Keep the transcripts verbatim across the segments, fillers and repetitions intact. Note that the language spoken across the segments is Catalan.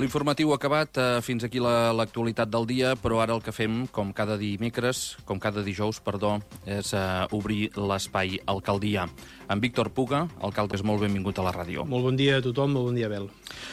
L'informatiu acabat, eh, fins aquí la- l'actualitat del dia, però ara el que fem, com cada dimecres, com cada dijous, perdó, és eh, obrir l'espai Alcaldia. En Víctor Puga, alcalde, és molt benvingut a la ràdio. Molt bon dia a tothom, molt bon dia, Abel.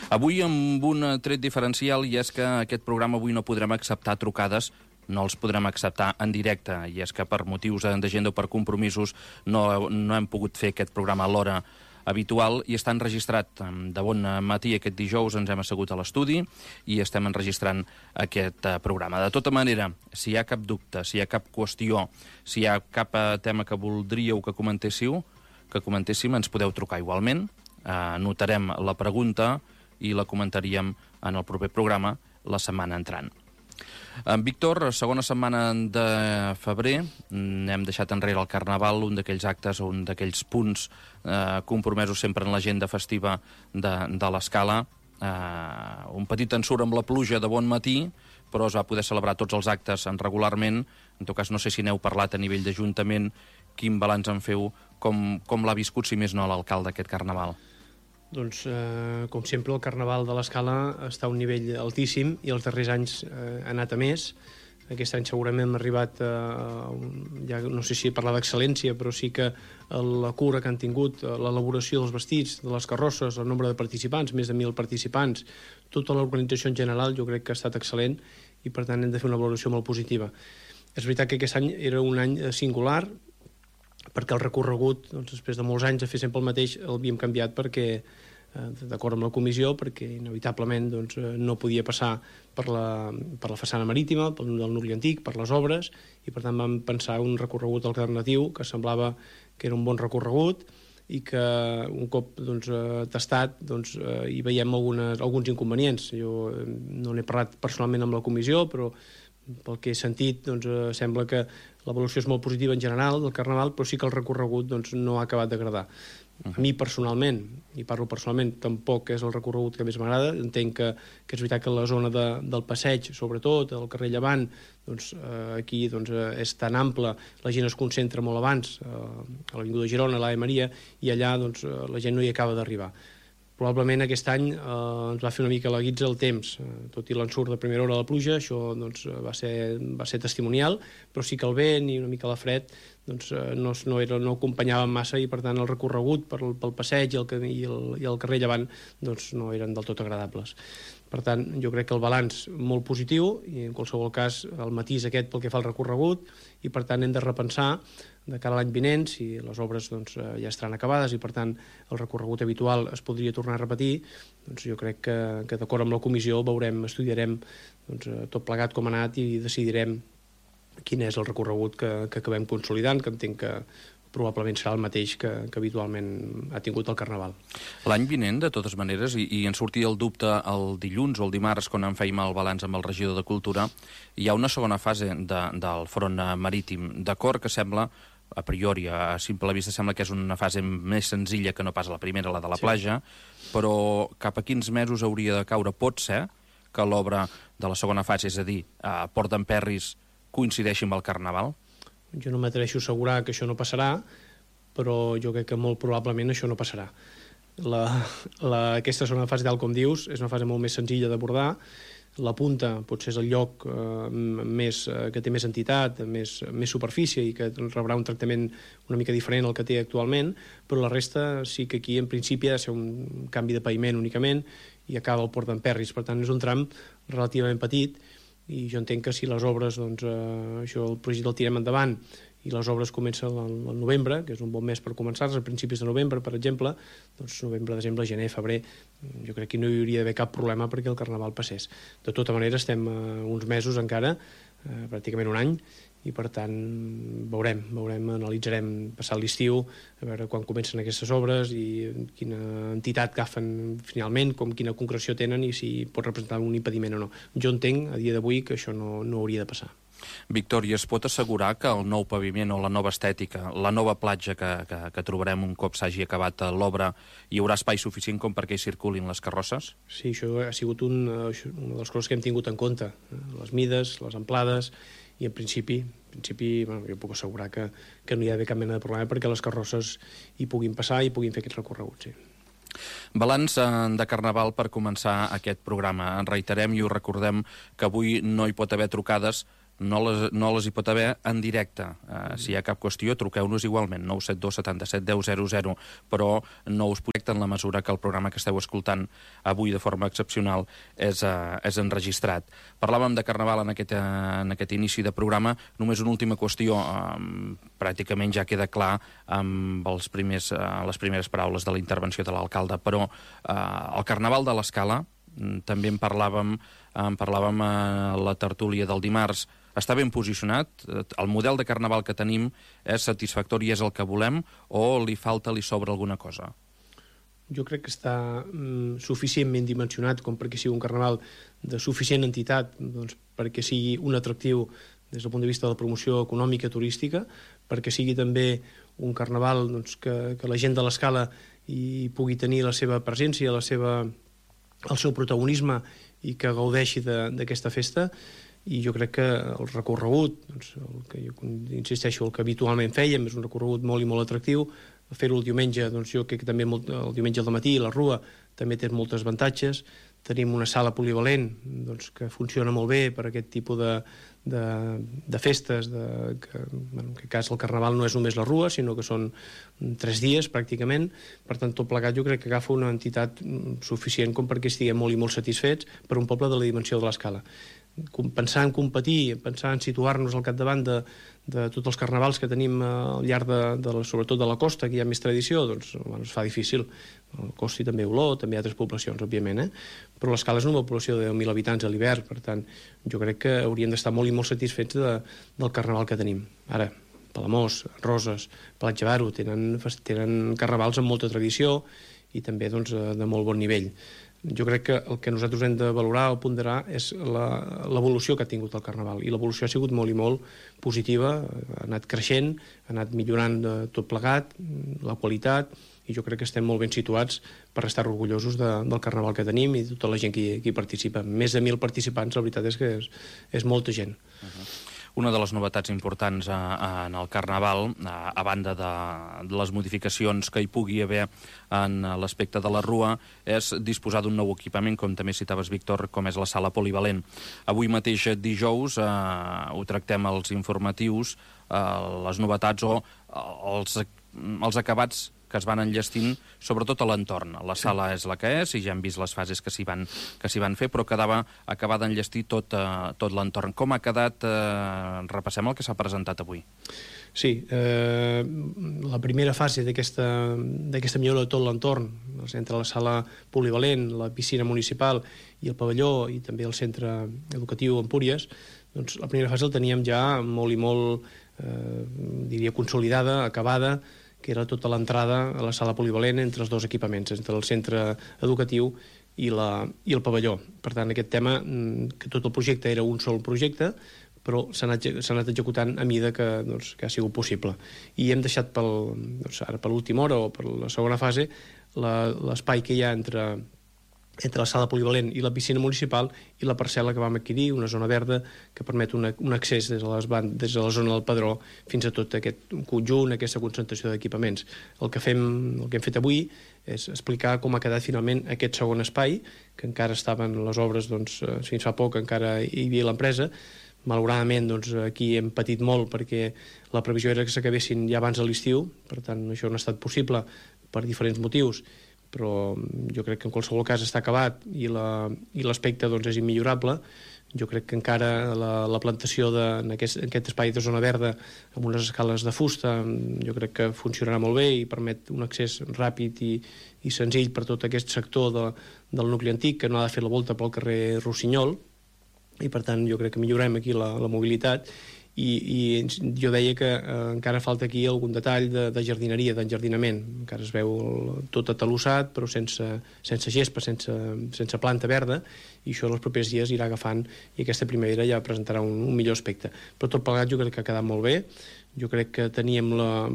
Avui amb un tret diferencial, i és que aquest programa avui no podrem acceptar trucades, no els podrem acceptar en directe, i és que per motius d'agenda o per compromisos no, no hem pogut fer aquest programa a l'hora habitual i està enregistrat de bon matí aquest dijous. Ens hem assegut a l'estudi i estem enregistrant aquest eh, programa. De tota manera, si hi ha cap dubte, si hi ha cap qüestió, si hi ha cap eh, tema que voldríeu que comentéssiu, que comentéssim, ens podeu trucar igualment, eh, anotarem la pregunta i la comentaríem en el proper programa la setmana entrant. En Víctor, segona setmana de febrer, hem deixat enrere el Carnaval, un d'aquells actes, un d'aquells punts eh, compromesos sempre en l'agenda festiva de, de l'Escala. Eh, un petit ensurt amb la pluja de bon matí, però es va poder celebrar tots els actes regularment. En tot cas, no sé si n'heu parlat a nivell d'Ajuntament, quin balanç en feu, com, com l'ha viscut, si més no, l'alcalde, aquest Carnaval? Doncs, eh, com sempre, el Carnaval de l'Escala està a un nivell altíssim i els darrers anys eh, ha anat a més. Aquest any segurament hem arribat a, un, ja no sé si parlar d'excel·lència, però sí que la cura que han tingut, l'elaboració dels vestits, de les carrosses, el nombre de participants, més de mil participants, tota l'organització en general jo crec que ha estat excel·lent i per tant hem de fer una valoració molt positiva. És veritat que aquest any era un any singular, perquè el recorregut, doncs, després de molts anys de fer sempre el mateix, l'havíem canviat perquè, eh, d'acord amb la comissió, perquè inevitablement doncs, no podia passar per la, per la façana marítima, pel del nucli antic, per les obres, i per tant vam pensar un recorregut alternatiu que semblava que era un bon recorregut i que un cop doncs, tastat doncs, hi veiem algunes, alguns inconvenients. Jo no n'he parlat personalment amb la comissió, però pel que he sentit, doncs, eh, sembla que l'evolució és molt positiva en general del Carnaval, però sí que el recorregut doncs, no ha acabat d'agradar. A mi personalment, i parlo personalment, tampoc és el recorregut que més m'agrada. Entenc que, que és veritat que la zona de, del passeig, sobretot, el carrer Llevant, doncs, eh, aquí doncs, eh, és tan ample, la gent es concentra molt abans, eh, a l'Avinguda Girona, a l'Ave Maria, i allà doncs, eh, la gent no hi acaba d'arribar. Probablement aquest any eh, ens va fer una mica la guitza el temps, eh, tot i l'ensurt de primera hora de la pluja, això doncs, va, ser, va ser testimonial, però sí que el vent i una mica la fred doncs, eh, no, no, era, no acompanyaven massa i per tant el recorregut pel, pel passeig i el, i, el, i el carrer Llevant doncs, no eren del tot agradables. Per tant, jo crec que el balanç molt positiu i en qualsevol cas el matís aquest pel que fa al recorregut i per tant hem de repensar de cara a l'any vinent, si les obres doncs, ja estaran acabades i per tant el recorregut habitual es podria tornar a repetir, doncs jo crec que, que d'acord amb la comissió veurem, estudiarem doncs, tot plegat com ha anat i decidirem quin és el recorregut que, que acabem consolidant, que entenc que probablement serà el mateix que, que habitualment ha tingut el Carnaval. L'any vinent, de totes maneres, i, i en sortia el dubte el dilluns o el dimarts, quan en fèiem el balanç amb el regidor de Cultura, hi ha una segona fase de, del front marítim. D'acord que sembla, a priori, a simple vista, sembla que és una fase més senzilla que no pas la primera, la de la sí. platja, però cap a quins mesos hauria de caure? Pot ser que l'obra de la segona fase, és a dir, a Port d'Emperris, coincideixi amb el Carnaval? Jo no m'atreveixo a assegurar que això no passarà, però jo crec que molt probablement això no passarà. La, la, aquesta segona fase, tal com dius, és una fase molt més senzilla d'abordar. La punta potser és el lloc eh, més, eh, que té més entitat, més, més superfície i que rebrà un tractament una mica diferent al que té actualment, però la resta sí que aquí en principi ha de ser un canvi de paviment únicament i acaba el Port d'Emperris. Per tant, és un tram relativament petit i jo entenc que si les obres, doncs, eh, això el projecte el tirem endavant i les obres comencen al novembre, que és un bon mes per començar-les, a principis de novembre, per exemple, doncs novembre, desembre, gener, febrer, jo crec que no hi hauria d'haver cap problema perquè el Carnaval passés. De tota manera, estem eh, uns mesos encara, eh, pràcticament un any, i per tant veurem, veurem, analitzarem passat l'estiu, a veure quan comencen aquestes obres i quina entitat agafen finalment, com quina concreció tenen i si pot representar un impediment o no. Jo entenc a dia d'avui que això no, no hauria de passar. Víctor, i es pot assegurar que el nou paviment o la nova estètica, la nova platja que, que, que trobarem un cop s'hagi acabat l'obra, hi haurà espai suficient com perquè hi circulin les carrosses? Sí, això ha sigut un, una de les coses que hem tingut en compte, les mides, les amplades, i en principi, en principi bueno, jo puc assegurar que, que no hi ha d'haver cap mena de problema perquè les carrosses hi puguin passar i puguin fer aquest recorregut, sí. Balanç de Carnaval per començar aquest programa. En reiterem i us recordem que avui no hi pot haver trucades, no les, no les hi pot haver en directe. Uh, si hi ha cap qüestió, truqueu-nos igualment, nou set dos setanta-set deu zero zero, però no us projecta en la mesura que el programa que esteu escoltant avui de forma excepcional és, uh, és enregistrat. Parlàvem de Carnaval en aquest, uh, en aquest inici de programa. Només una última qüestió, um, pràcticament ja queda clar amb els primers, uh, les primeres paraules de la intervenció de l'alcalde, però uh, el Carnaval de l'Escala, també en parlàvem, en parlàvem a la tertúlia del dimarts, està ben posicionat? El model de Carnaval que tenim és satisfactori, és el que volem, o li falta, li sobra alguna cosa? Jo crec que està mm, suficientment dimensionat com perquè sigui un Carnaval de suficient entitat, doncs, perquè sigui un atractiu des del punt de vista de la promoció econòmica turística, perquè sigui també un Carnaval doncs, que, que la gent de l'Escala hi pugui tenir la seva presència, la seva, el seu protagonisme i que gaudeixi d'aquesta festa. I jo crec que el recorregut, doncs, el que jo insisteixo, el que habitualment fèiem, és un recorregut molt i molt atractiu. Fer-ho el diumenge, doncs jo crec que també molt, el diumenge al matí, la Rua, també té moltes avantatges. Tenim una sala polivalent doncs, que funciona molt bé per aquest tipus de, de, de festes, de, que, bueno, en aquest cas el Carnaval no és només la Rua, sinó que són tres dies pràcticament. Per tant, tot plegat jo crec que agafa una entitat suficient com perquè estiguem molt i molt satisfets per un poble de la dimensió de l'Escala. Pensar en competir, pensar en situar-nos al capdavant de, de tots els carnavals que tenim al llarg de, de la, sobretot de la costa, que hi ha més tradició, doncs bueno, es fa difícil. El Costi també Oló, també hi ha altres poblacions, òbviament, eh? Però l'Escala és una població de deu mil habitants a l'hivern, per tant, jo crec que hauríem d'estar molt i molt satisfets de, del carnaval que tenim. Ara, Palamós, Roses, Platja d'Aro, tenen, tenen carnavals amb molta tradició i també doncs, de molt bon nivell. Jo crec que el que nosaltres hem de valorar o ponderar és l'evolució que ha tingut el Carnaval, i l'evolució ha sigut molt i molt positiva, ha anat creixent, ha anat millorant tot plegat, la qualitat, i jo crec que estem molt ben situats per estar orgullosos de, del Carnaval que tenim i de tota la gent que hi, que hi participa. Més de mil participants, la veritat és que és, és molta gent. Uh-huh. Una de les novetats importants a, a, en el Carnaval, a, a banda de, de les modificacions que hi pugui haver en l'aspecte de la Rua, és disposar d'un nou equipament, com també citaves, Víctor, com és la sala polivalent. Avui mateix dijous eh, ho tractem als informatius, eh, les novetats o els, els acabats que es van enllestint, sobretot a l'entorn. La sala és la que és, i ja hem vist les fases que s'hi van, que s'hi van fer, però quedava acabar d'enllestir tot, eh, tot l'entorn. Com ha quedat? Eh, repassem el que s'ha presentat avui. Sí, eh, la primera fase d'aquesta millora de tot l'entorn, entre la sala polivalent, la piscina municipal i el pavelló, i també el centre educatiu Empúries, doncs la primera fase la teníem ja molt i molt, eh, diria, consolidada, acabada, que era tota l'entrada a la sala polivalent entre els dos equipaments, entre el centre educatiu i, la, i el pavelló. Per tant, aquest tema, que tot el projecte era un sol projecte, però s'ha anat, anat executant a mida que, doncs, que ha sigut possible. I hem deixat pel, doncs, ara per l'última hora o per la segona fase l'espai que hi ha entre entre la sala polivalent i la piscina municipal i la parcel·la que vam adquirir, una zona verda que permet una, un accés des de, les bandes, des de la zona del Pedró fins a tot aquest conjunt, aquesta concentració d'equipaments. El que fem, el que hem fet avui és explicar com ha quedat finalment aquest segon espai, que encara estaven les obres, doncs, fins fa poc encara hi havia l'empresa. Malauradament, doncs, aquí hem patit molt perquè la previsió era que s'acabessin ja abans de l'estiu, per tant això no ha estat possible per diferents motius, però jo crec que en qualsevol cas està acabat i l'aspecte doncs, és immillorable. Jo crec que encara la, la plantació de, en, aquest, en aquest espai de zona verda amb unes escales de fusta jo crec que funcionarà molt bé i permet un accés ràpid i, i senzill per tot aquest sector de, del nucli antic, que no ha de fer la volta pel carrer Rossinyol, i per tant jo crec que millorem aquí la, la mobilitat. I, i jo deia que eh, encara falta aquí algun detall de, de jardineria, d'enjardinament. Encara es veu el, tot atalossat, però sense, sense gespa, sense, sense planta verda, i això els propers dies irà agafant, i aquesta primavera ja presentarà un, un millor aspecte. Però tot plegat jo crec que ha quedat molt bé. Jo crec que teníem la,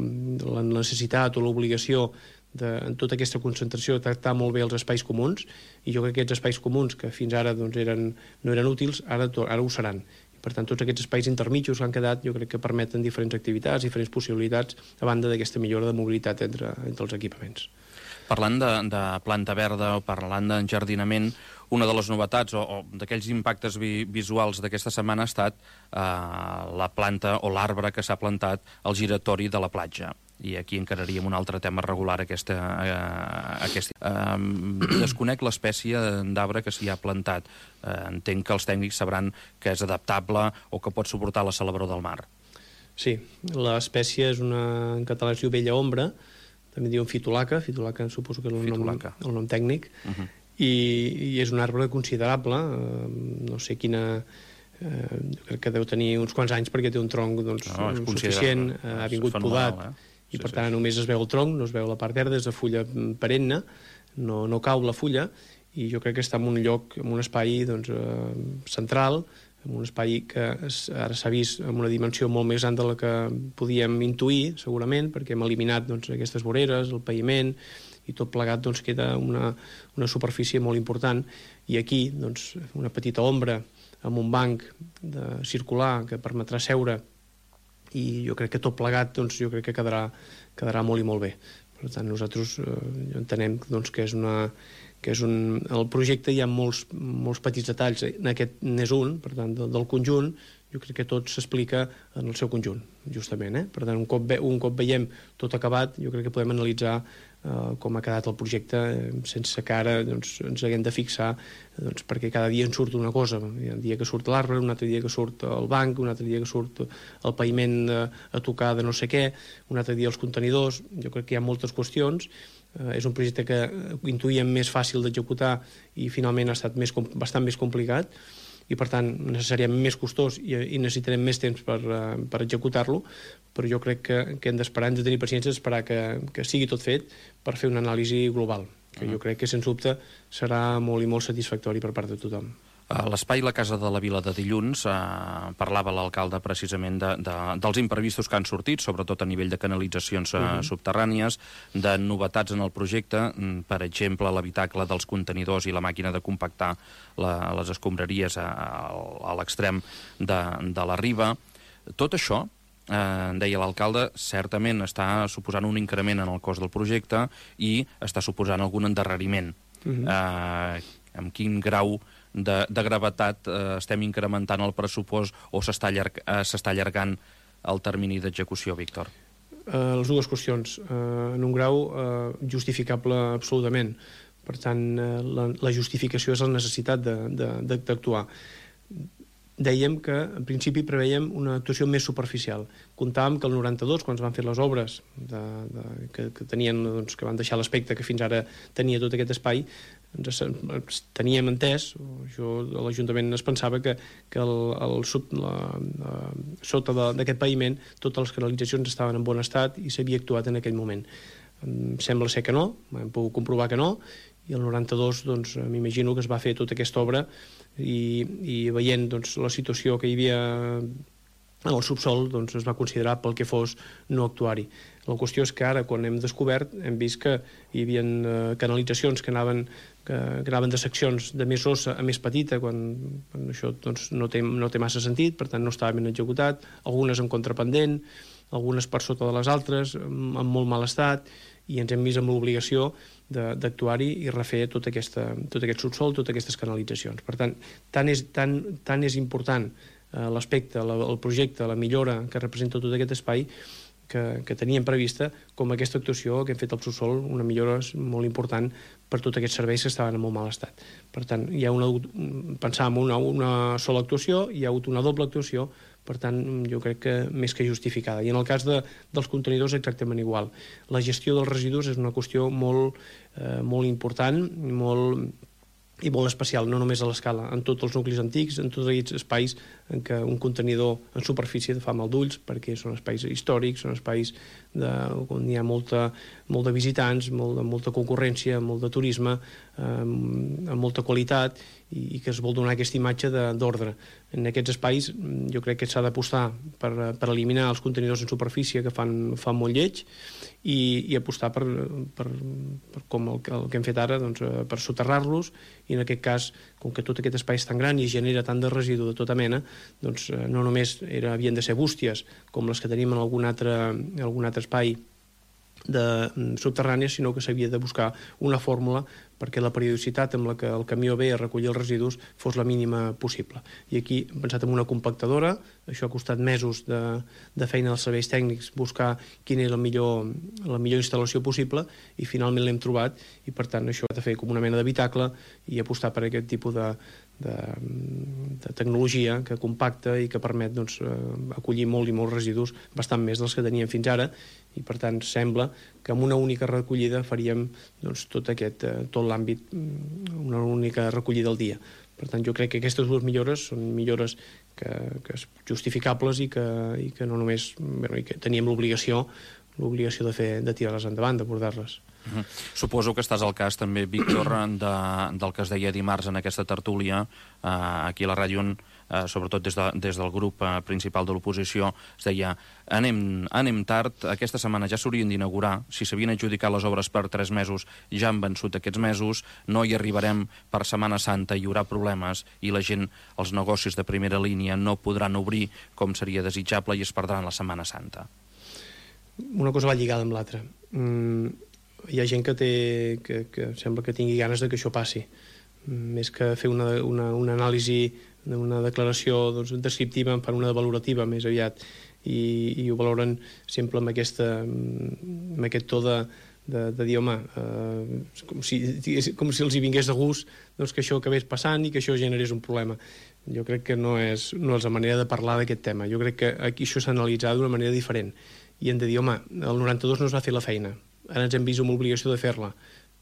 la necessitat o l'obligació de, en tota aquesta concentració, de tractar molt bé els espais comuns, i jo crec que aquests espais comuns, que fins ara doncs, eren, no eren útils, ara, ara ho seran. Per tant, tots aquests espais intermitjos que han quedat jo crec que permeten diferents activitats, diferents possibilitats, a banda d'aquesta millora de mobilitat entre, entre els equipaments. Parlant de, de planta verda o parlant d'enjardinament, una de les novetats o, o d'aquells impactes vi, visuals d'aquesta setmana ha estat eh, la planta o l'arbre que s'ha plantat al giratori de la platja. I aquí encararíem un altre tema regular aquesta... Eh, aquesta. Eh, desconec l'espècie d'arbre que s'hi ha plantat. Eh, entenc que els tècnics sabran que és adaptable o que pot suportar la salabror del mar. Sí, l'espècie és una... en català es diu vella ombra, també diuen fitolaca, fitolaca suposo que és el, nom, el nom tècnic, uh-huh. I, i és un arbre considerable, eh, no sé quina... Eh, crec que deu tenir uns quants anys perquè té un tronc doncs, no, suficient, eh, ha vingut podat, eh? I per tant només es veu el tronc, no es veu la part verda, és de fulla perenne, no, no cau la fulla, i jo crec que està en un lloc, en un espai doncs, eh, central, en un espai que es, ara s'ha vist amb una dimensió molt més gran de la que podíem intuir, segurament, perquè hem eliminat doncs, aquestes voreres, el paviment, i tot plegat doncs, queda una, una superfície molt important, i aquí doncs, una petita ombra amb un banc de circular que permetrà seure, i jo crec que tot plegat doncs, jo crec que quedarà, quedarà molt i molt bé. Per tant, nosaltres eh, entenem doncs, que és una... que és un... el projecte hi ha molts, molts petits detalls, en aquest n'és un, per tant, del, del conjunt, jo crec que tot s'explica en el seu conjunt, justament. Eh? Per tant, un cop, ve, un cop veiem tot acabat, jo crec que podem analitzar eh, com ha quedat el projecte eh, sense que ara doncs, ens haguem de fixar, doncs, perquè cada dia en surt una cosa. Hi ha un dia que surt l'arbre, un altre dia que surt el banc, un altre dia que surt el paviment a, a tocar de no sé què, un altre dia els contenidors. Jo crec que hi ha moltes qüestions. Eh, és un projecte que intuïem més fàcil d'executar i finalment ha estat més, bastant més complicat, i per tant necessàriament més costós i, i necessitarem més temps per, uh, per executar-lo, però jo crec que, que hem d'esperar, hem de tenir paciència d'esperar que, que sigui tot fet per fer una anàlisi global, que jo crec que sens dubte serà molt i molt satisfactori per part de tothom. A l'espai La Casa de la Vila de dilluns eh, parlava l'alcalde precisament de, de, dels imprevistos que han sortit, sobretot a nivell de canalitzacions eh, uh-huh. subterrànies, de novetats en el projecte, per exemple, l'habitacle dels contenidors i la màquina de compactar la, les escombraries a, a l'extrem de, de la riba. Tot això, eh, deia l'alcalde, certament està suposant un increment en el cost del projecte i està suposant algun endarreriment. Uh-huh. Eh, amb quin grau de, de gravetat eh, estem incrementant el pressupost o s'està allarg, eh, s'està allargant el termini d'execució, Víctor? Uh, les dues qüestions. Uh, en un grau uh, justificable absolutament. Per tant, uh, la, la justificació és la necessitat d'actuar. Dèiem que, en principi, preveiem una actuació més superficial. Comptàvem que el noranta-dos, quan es van fer les obres de, de, que, que, tenien, doncs, que van deixar l'aspecte que fins ara tenia tot aquest espai, ens, ens teníem entès, jo, l'Ajuntament es pensava que, que el, el sub, la, la, sota d'aquest paviment totes les canalitzacions estaven en bon estat i s'havia actuat en aquell moment. Em sembla ser que no, hem pogut comprovar que no, i el noranta-dos doncs, m'imagino que es va fer tota aquesta obra i, i veient doncs, la situació que hi havia en el subsol, doncs, es va considerar pel que fos no actuar-hi. La qüestió és que ara, quan hem descobert, hem vist que hi havia eh, canalitzacions que anaven, que, que anaven de seccions de més grossa a més petita, quan, quan això doncs, no, té, no té massa sentit, per tant no estava ben executat, algunes en contrapendent, algunes per sota de les altres, en molt mal estat, i ens hem vist amb l'obligació d'actuar-hi i refer tot, aquesta, tot aquest subsol, totes aquestes canalitzacions. Per tant, tant és, tant, tant és important eh, l'aspecte, la, el projecte, la millora que representa tot aquest espai que, que teníem prevista, com aquesta actuació que hem fet al subsol, una millora molt important per tots aquests serveis que estaven en molt mal estat. Per tant, hi ha una, pensàvem una, una sola actuació, hi ha hagut una doble actuació, per tant, jo crec que més que justificada. I en el cas de, dels contenidors exactament igual. La gestió dels residus és una qüestió molt, eh, molt important, molt i molt especial, no només a l'escala, en tots els nuclis antics, en tots aquests espais en què un contenidor en superfície fa mal d'ulls, perquè són espais històrics, són espais de, on hi ha molta, molt de visitants, molt, molta concurrència, molt de turisme, eh, amb molta qualitat, i, i que es vol donar aquesta imatge d'ordre. En aquests espais jo crec que s'ha d'apostar per, per eliminar els contenidors en superfície que fan, fan molt lleig, i, i apostar per, per, per com el, el que hem fet ara, doncs, per soterrar-los, i en aquest cas, com que tot aquest espai és tan gran i genera tant de residu de tota mena, doncs no només era, havien de ser bústies com les que tenim en algun altre, en algun altre espai de subterrània, sinó que s'havia de buscar una fórmula perquè la periodicitat amb la que el camió ve a recollir els residus fos la mínima possible. I aquí hem pensat en una compactadora, això ha costat mesos de, de feina als serveis tècnics, buscar quina és la millor, la millor instal·lació possible, i finalment l'hem trobat, i per tant això ha de fer com una mena d'habitacle i apostar per aquest tipus de, de, de tecnologia que compacta i que permet doncs, acollir molt i molts residus, bastant més dels que teníem fins ara, i per tant sembla que amb una única recollida faríem doncs, tot aquest, tot l'àmbit, una única recollida al dia. Per tant, jo crec que aquestes dues millores són millores que, que justificables i que, i que no només bueno, i que teníem l'obligació l'obligació de, fer, de tirar-les endavant, d'abordar-les. Uh -huh. Suposo que estàs al cas també, Víctor, de, del que es deia dimarts en aquesta tertúlia, eh, aquí a la ràdio, on, eh, sobretot des, de, des del grup eh, principal de l'oposició, es deia anem, anem tard, aquesta setmana ja s'haurien d'inaugurar, si s'havien adjudicat les obres per tres mesos, ja han vençut aquests mesos, no hi arribarem per Setmana Santa, hi haurà problemes i la gent, els negocis de primera línia no podran obrir com seria desitjable i es perdran la Setmana Santa. Una cosa va lligada amb l'altra. Mm, hi ha gent que, té, que, que sembla que tingui ganes de que això passi. Mm, més que fer una, una, una anàlisi, una declaració doncs, descriptiva, per una valorativa més aviat, i, i ho valoren sempre amb, aquesta, amb aquest to de, de, de dir, home, eh, com, si, com si els hi vingués de gust doncs, que això acabés passant i que això generés un problema. Jo crec que no és, no és la manera de parlar d'aquest tema. Jo crec que aquí això s'ha analitzat d'una manera diferent. I hem de dir, home, el noranta-dos no es va fer la feina, ara ens hem vist amb l'obligació de fer-la.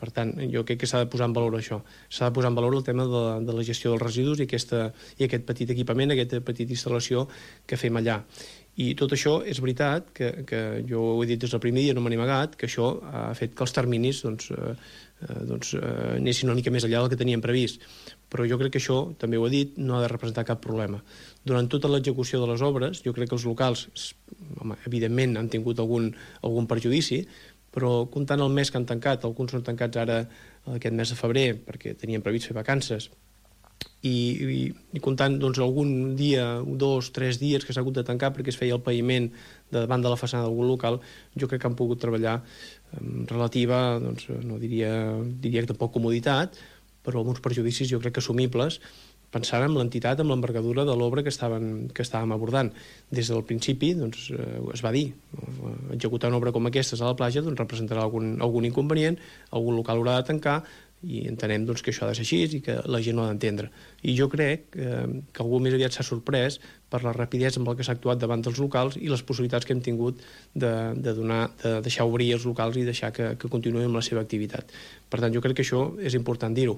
Per tant, jo crec que s'ha de posar en valor això. S'ha de posar en valor el tema de la, de la gestió dels residus i, aquesta, i aquest petit equipament, aquesta petita instal·lació que fem allà. I tot això és veritat, que, que jo ho he dit des del primer dia, no me n'he amagat, que això ha fet que els terminis doncs, eh, doncs, eh, anessin una mica més enllà del que teníem previst. Però jo crec que això, també ho he dit, no ha de representar cap problema. Durant tota l'execució de les obres, jo crec que els locals, home, evidentment, han tingut algun, algun perjudici, però comptant el mes que han tancat, alguns són tancats ara aquest mes de febrer, perquè tenien previst fer vacances, i, i, i comptant doncs, algun dia, dos, tres dies que s'ha hagut de tancar perquè es feia el paviment de davant de la façana d'algun local, jo crec que han pogut treballar amb relativa, doncs, no diria, diria que tampoc comoditat, però alguns perjudicis jo crec que assumibles, pensant en l'entitat, en l'envergadura de l'obra que, estaven, que estàvem abordant. Des del principi doncs, eh, es va dir, executar una obra com aquesta a la platja doncs, representarà algun, algun inconvenient, algun local haurà de tancar, i entenem doncs, que això ha de ser així i que la gent ho ha d'entendre. I jo crec eh, que algú més aviat s'ha sorprès per la rapidesa amb la que s'ha actuat davant dels locals i les possibilitats que hem tingut de, de, donar, de deixar obrir els locals i deixar que, que continuïn amb la seva activitat. Per tant, jo crec que això és important dir-ho.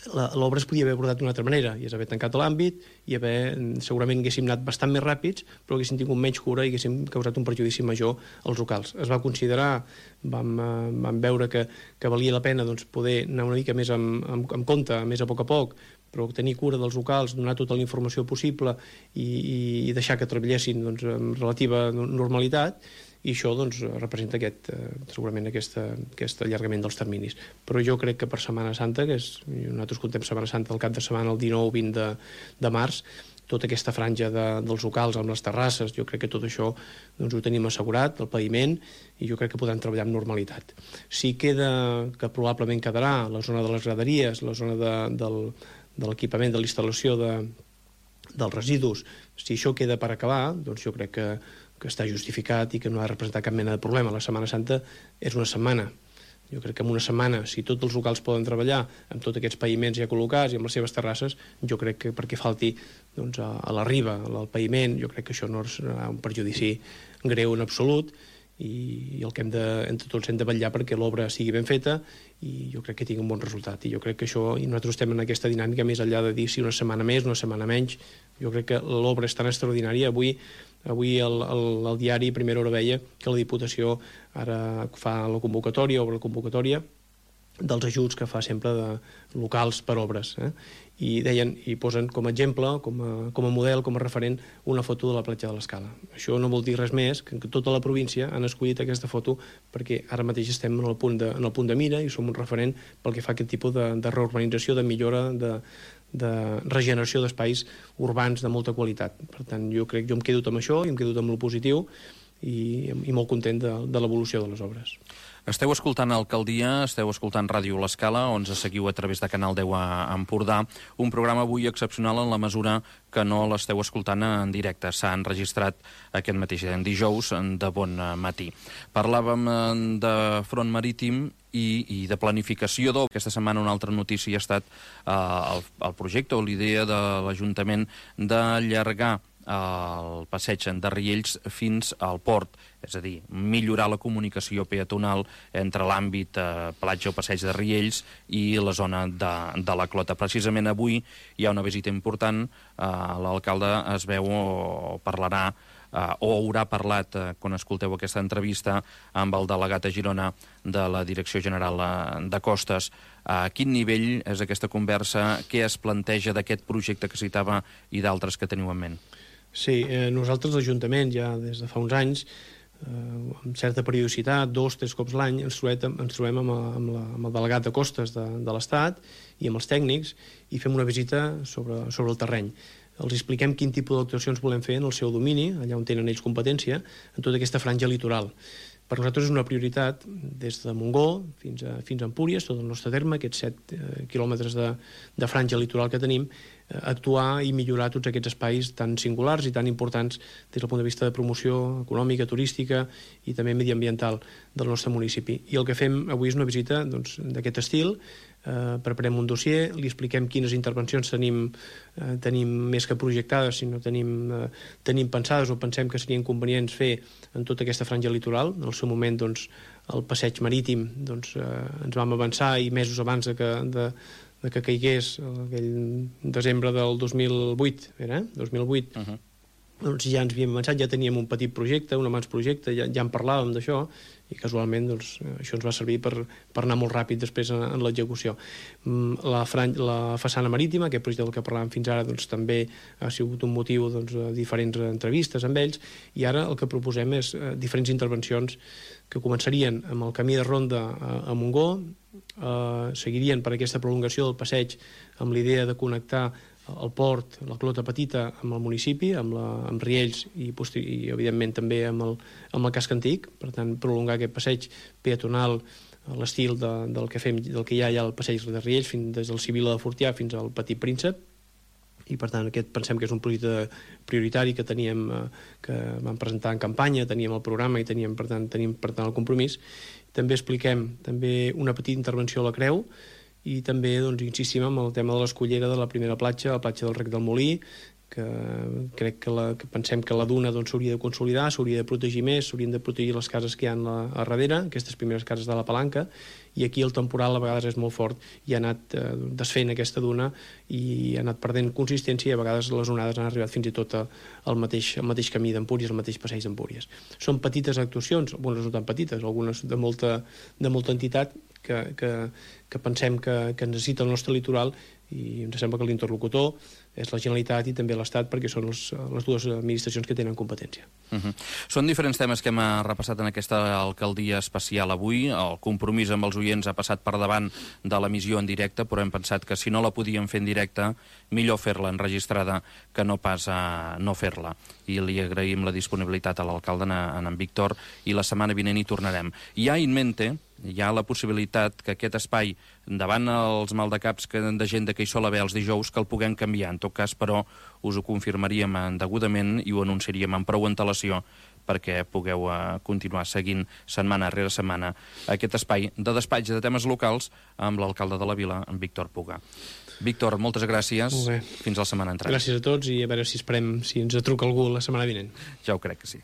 L'obra es podia haver abordat d'una altra manera, i és haver tancat l'àmbit i haver, segurament haguéssim anat bastant més ràpids, però haguéssim tingut menys cura i haguéssim causat un perjudici major als locals. Es va considerar, vam, vam veure que, que valia la pena doncs, poder anar una mica més amb, amb, amb compte, més a poc a poc, però tenir cura dels locals, donar tota la informació possible i, i, i deixar que treballessin doncs, amb relativa normalitat, i això doncs, representa aquest, eh, segurament aquesta, aquest allargament dels terminis. Però jo crec que per Setmana Santa, que és, nosaltres contem Setmana Santa el cap de setmana, el dinou vint de, de març, tota aquesta franja de, dels locals amb les terrasses, jo crec que tot això doncs, ho tenim assegurat, el paviment, i jo crec que podran treballar amb normalitat. Si queda, que probablement quedarà, la zona de les graderies, la zona de, del, de l'equipament, de l'instal·lació de, dels residus, si això queda per acabar, doncs jo crec que que està justificat i que no ha de representar cap mena de problema. La Setmana Santa és una setmana. Jo crec que en una setmana, si tots els locals poden treballar amb tots aquests paviments ja col·locats i amb les seves terrasses, jo crec que perquè falti doncs, a, a la riba, al paviment, jo crec que això no serà un perjudici greu en absolut, i, i el que hem de, entre tots hem de vetllar perquè l'obra sigui ben feta i jo crec que tingui un bon resultat. I jo crec que això, i nosaltres estem en aquesta dinàmica més enllà de dir si una setmana més, una setmana menys, jo crec que l'obra és tan extraordinària. Avui Avui el, el, el diari Primera Hora veia que la Diputació ara fa la convocatòria, obre la convocatòria dels ajuts que fa sempre de locals per obres. Eh? I deien, i posen com a exemple, com a, com a model, com a referent, una foto de la platja de l'Escala. Això no vol dir res més que tota la província han escollit aquesta foto perquè ara mateix estem en el punt de, en el punt de mira i som un referent pel que fa a aquest tipus de, de reurbanització, de millora, de de regeneració d'espais urbans de molta qualitat. Per tant, jo crec, jo em quedo amb això i em quedo amb el positiu i, i molt content de, de l'evolució de les obres. Esteu escoltant Alcaldia, esteu escoltant Ràdio L'Escala, on ens seguiu a través de Canal deu a Empordà. Un programa avui excepcional en la mesura que no l'esteu escoltant en directe. S'ha enregistrat aquest mateix dijous de bon matí. Parlàvem de front marítim i, i de planificació d'obres. Aquesta setmana una altra notícia ha estat eh, el, el projecte o l'idea de l'Ajuntament d'allargar el passeig de Riells fins al port, és a dir, millorar la comunicació peatonal entre l'àmbit eh, platja o passeig de Riells i la zona de, de la Clota. Precisament avui hi ha una visita important, eh, l'alcalde es veu o parlarà eh, o haurà parlat, eh, quan escolteu aquesta entrevista, amb el delegat a Girona de la Direcció General de Costes. A quin nivell és aquesta conversa? Què es planteja d'aquest projecte que citava i d'altres que teniu en ment? Sí, eh, nosaltres l'Ajuntament ja des de fa uns anys, eh, amb certa periodicitat, dos, tres cops l'any, ens trobem, ens trobem amb, amb, la, amb el delegat de Costes de, de l'Estat i amb els tècnics i fem una visita sobre, sobre el terreny. Els expliquem quin tipus d'actuacions volem fer en el seu domini, allà on tenen ells competència, en tota aquesta franja litoral. Per nosaltres és una prioritat, des de Montgó fins a, fins a Empúries, tot el nostre terme, aquests set eh, quilòmetres de, de franja litoral que tenim, eh, actuar i millorar tots aquests espais tan singulars i tan importants des del punt de vista de promoció econòmica, turística i també mediambiental del nostre municipi. I el que fem avui és una visita doncs, d'aquest estil. Eh, preparem un dossier, li expliquem quines intervencions tenim, eh, tenim més que projectades, si no tenim, eh, tenim pensades o pensem que serien convenients fer en tota aquesta franja litoral. En el seu moment, doncs, el passeig marítim, doncs, eh, ens vam avançar i mesos abans de que, de, de que caigués aquell desembre del dos mil vuit, era, eh? dos mil vuit, uh-huh. Doncs ja ens havíem avançat, ja teníem un petit projecte, un abans projecte, ja, ja en parlàvem d'això, i casualment doncs, això ens va servir per, per anar molt ràpid després en, en l'execució. La, la façana marítima, aquest projecte del que parlàvem fins ara, doncs, també ha sigut un motiu doncs, de diferents entrevistes amb ells, i ara el que proposem és eh, diferents intervencions que començarien amb el camí de ronda a, a Montgó, eh, seguirien per aquesta prolongació del passeig amb l'idea de connectar el port, la Clota Petita, amb el municipi, amb, la, amb Riells i, i evidentment també amb el, amb el casc antic, per tant prolongar aquest passeig peatonal a l'estil de, del, que fem, del que hi ha allà al passeig de Riells, fins, des del Sibil·la de Fortià fins al Petit Príncep, i per tant aquest pensem que és un projecte prioritari que teníem, que vam presentar en campanya, teníem el programa i teníem per tant, teníem per tant el compromís. També expliquem també una petita intervenció a la Creu, i també doncs, insistim en el tema de l'escollera de la primera platja, la platja del Rec del Molí, que crec que, la, que pensem que la duna s'hauria doncs, de consolidar, s'hauria de protegir més, s'haurien de protegir les cases que hi ha a, a darrere, aquestes primeres cases de la Palanca, i aquí el temporal a vegades és molt fort i ha anat eh, desfent aquesta duna i ha anat perdent consistència i a vegades les onades han arribat fins i tot al mateix, al mateix camí d'Empúries, al mateix passeig d'Empúries. Són petites actuacions, algunes no tan petites, algunes de molta, de molta entitat que, que, que pensem que, que necessita el nostre litoral, i ens sembla que l'interlocutor és la Generalitat i també l'Estat, perquè són les, les dues administracions que tenen competència. Uh-huh. Són diferents temes que hem repassat en aquesta alcaldia especial avui. El compromís amb els oients ha passat per davant de l'emissió en directe, però hem pensat que si no la podíem fer en directe, millor fer-la enregistrada que no pas a no fer-la. I li agraïm la disponibilitat a l'alcalde, en en Víctor, i la setmana vinent hi tornarem. Hi ha in mente, hi ha la possibilitat que aquest espai, davant els maldecaps de gent que hi sol haver els dijous, que el puguem canviar. En tot cas, però, us ho confirmaríem degudament i ho anunciaríem amb prou antelació perquè pugueu uh, continuar seguint setmana rere setmana aquest espai de despatx de temes locals amb l'alcalde de la vila, en Víctor Puga. Víctor, moltes gràcies. Molt bé. Fins la setmana entrant. Gràcies a tots i a veure si esperem si ens truca algú la setmana vinent. Ja ho crec que sí.